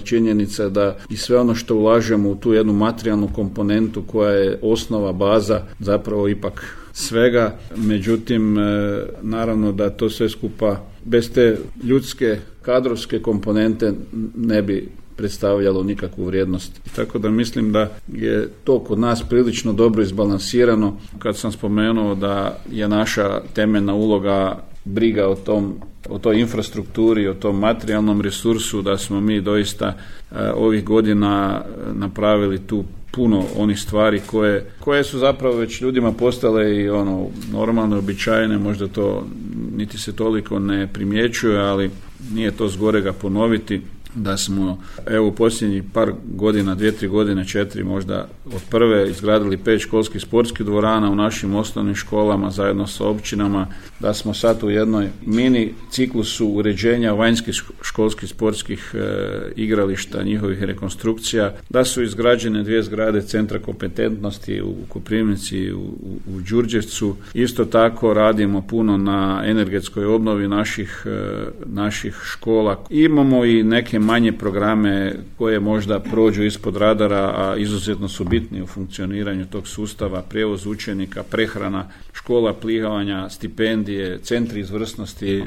činjenica da i sve ono što ulažemo u tu jednu materijalnu komponentu koja je osnova, baza zapravo ipak svega. Međutim, naravno da to sve skupa bez te ljudske, kadrovske komponente ne bi predstavljalo nikakvu vrijednost. Tako da mislim da je to kod nas prilično dobro izbalansirano. Kad sam spomenuo da je naša temeljna uloga briga o toj infrastrukturi, o tom materijalnom resursu, da smo mi doista ovih godina napravili tu puno onih stvari koje su zapravo već ljudima postale i normalno običajne, možda to niti se toliko ne primjećuje, ali nije to zgorega ponoviti da smo u posljednjih par godina, 2-3 godine, 4 možda od prve izgradili 5 školskih sportskih dvorana u našim osnovnim školama zajedno sa općinama, da smo sad u jednoj mini ciklusu uređenja vanjskih školskih sportskih igrališta, njihovih rekonstrukcija, da su izgrađene 2 zgrade centra kompetentnosti u Koprivnici, u Đurđevcu. Isto tako radimo puno na energetskoj obnovi naših škola. Imamo i neke manje programe koje možda prođu ispod radara, a izuzetno su bitni u funkcioniranju tog sustava, prijevoz učenika, prehrana, škola plivanja, stipendije, centri izvrsnosti.